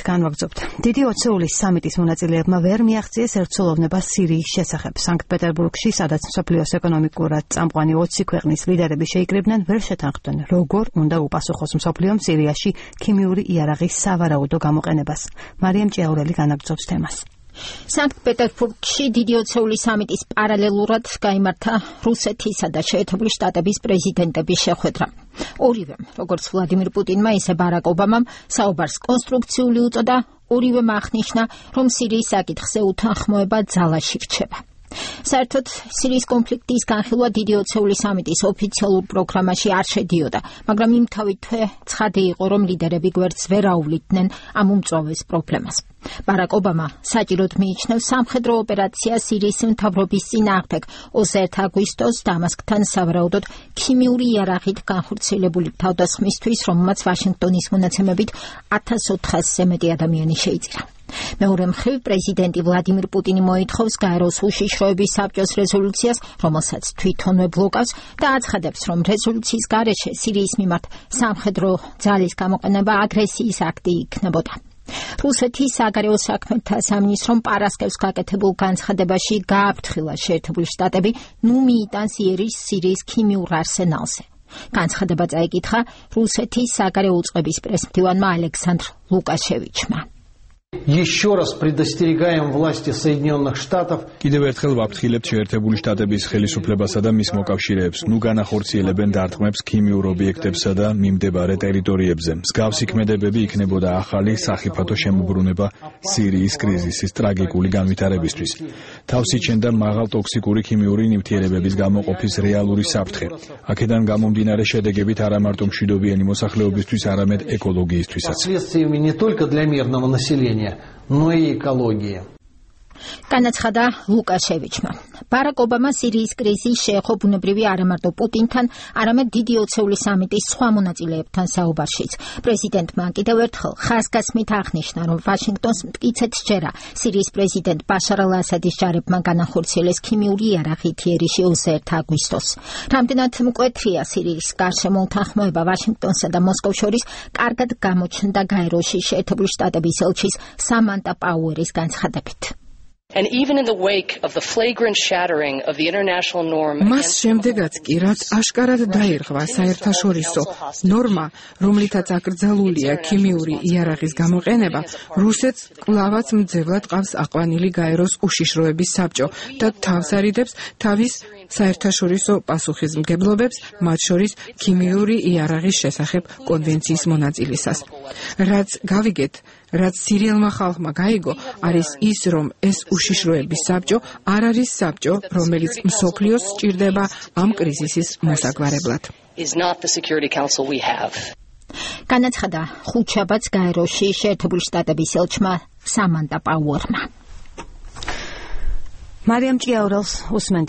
განვაგრძობთ. დიდი 20-ლის სამიტის მონაწილეებმა ვერ მიაღწიეს ერთსულოვნება სირიის შესახებ. სანქტ-პეტერბურგში, სადაც მსოფლიოს ეკონომიკურად წამყვანი 20 ქვეყნის ლიდერები შეიკრიბნენ, ვერ შეთანხმდნენ, როგორ უნდა უპასუხოს მსოფლიომ სირიაში ქიმიური იარაღის სავარაუდო გამოყენებას. მარიამ ჭიაურელი განაგრძობს თემას. სანქტ-პეტერბურგში დიდი 20-ლის სამიტის პარალელურად გაიმართა რუსეთისა და შეერთებული შტატების პრეზიდენტების შეხვედრა. ორივემ, როგორც ვლადიმირ პუტინმა, ისე ბარაკ ობამამ საუბარს კონსტრუქციული უწოდა, ორივემ აღნიშნა, რომ სირიის საკითხზე უთანხმოება ძალაში რჩება. საერთოდ სირიის კონფლიქტის განხილვა დიდი 20-ლის სამიტის ოფიციალურ პროგრამაში არ შედიოდა, მაგრამ იმთავითვე ცხადი იყო, რომ ლიდერები გვერდს ვერ აუვლიდნენ ამ უმწვავეს პრობლემას. ბარაკ ობამა საჭიროდ მიიჩნევს სამხედრო ოპერაციას სირიის მთავრობის წინააღმდეგ 21 აგვისტოს დამასკთან სავარაუდოდ ქიმიური იარაღით განხორციელებული თავდასხმისთვის, რომელმაც ვაშინგტონის მონაცემებით 1400-ზე მეტი ადამიანი შეიწირა. მეორე მხრივ პრეზიდენტი ვლადიმირ პუტინი მოითხოვს გაეროს უშიშროების საბჭოს რეზოლუციას, რომელსაც თვითონვე ბლოკავს და აცხადებს, რომ რეზოლუციის გარეშე სირიის მიმართ სამხედრო ძალის გამოყენება აგრესიის აქტი იქნებოდა. რუსეთის საგარეო საქმეთა სამინისტრომ პარასკევს გაკეთებულ განცხადებაში გააფრთხილა შეერთებული შტატები ნუ მიიტანს იერიშს სირიის ქიმიურ არსენალზე. განცხადება წაიკითხა რუსეთის საგარეო უწყების პრესმდივანმა ალექსანდრ ლუკაშევიჩმა. Еще раз предостерегаем власти Соединенных Штатов. Კიდევ ერთხელ ვაფრთხილებთ შეერთებული შტატების ხელისუფლებასა და მის მოკავშირეებს, ნუ განახორციელებენ დარტყმებს ქიმიურ ობიექტებსა და მიმდებარე ტერიტორიებზე. მსგავსი ქმედებები იქნებოდა ახალი სახიფათო შემოbrunება სირიის კრიზისის ტრაგიკული განვითარებისთვის. თავს იჩენდა მაღალ ტოქსიკური ქიმიური ნივთიერებების გამოყოფის რეალური საფრთხე. აქედან გამომდინარე შედეგებით არა მარტო მშვიდობიანი მოსახლეობისთვის, არამედ ეკოლოგიისთვისაც. Не только для мирного населения, но и экологии. განაცხადა ლუკაშევიჩმა. ბარაკ ობამა სირიის კრიზისს შეეხო ბუნებრივი არა მარტო პუტინთან, არამედ დიდი 20-ლის სამიტის სხვა მონაწილეებთან საუბარშიც. პრეზიდენტმა კიდევ ერთხელ ხაზგასმით აღნიშნა, რომ ვაშინგტონს მტკიცედ სჯერა სირიის პრეზიდენტ ბაშარ ალ-ასადის ჯარებმა განახორციელეს ქიმიური იარაღით იერიში 21 აგვისტოს. რამდენად მკვეთრია სირიის გარშემო უთანხმოება ვაშინგტონსა და მოსკოვს შორის, კარგად გამოჩნდა გაეროში შეერთებული შტატების ელჩის სამანტა პაუერის განცხადებით. And even in the wake of the flagrant shattering of the international norm, მას შემდეგაც კი რაც აშკარად დაირღვა საერთაშორისო ნორმა, რომლითაც აკრძალულია ქიმიური იარაღის გამოყენება, რუსეთს კვლავაც მძევლად ყავს აყვანილი გაეროს უშიშროების საბჭო და თავს არიდებს თავის საერთაშორისო პასუხისმგებლობებს, მათ შორის ქიმიური იარაღის შესახებ კონვენციის მონაწილისას. რაც გავიგეთ, რაც სირიელმა ხალხმა გაიგო, არის ის, რომ ეს უშიშროების საბჭო არ არის საბჭო, რომელიც მსოფლიოს სჭირდება ამ კრიზისის მოსაგვარებლად. განაცხადა ხუთშაბათს გაეროში შეერთებული შტატების ელჩმა სამანტა პაუერმა. მარიამ ჭიაურელს უსმენთ.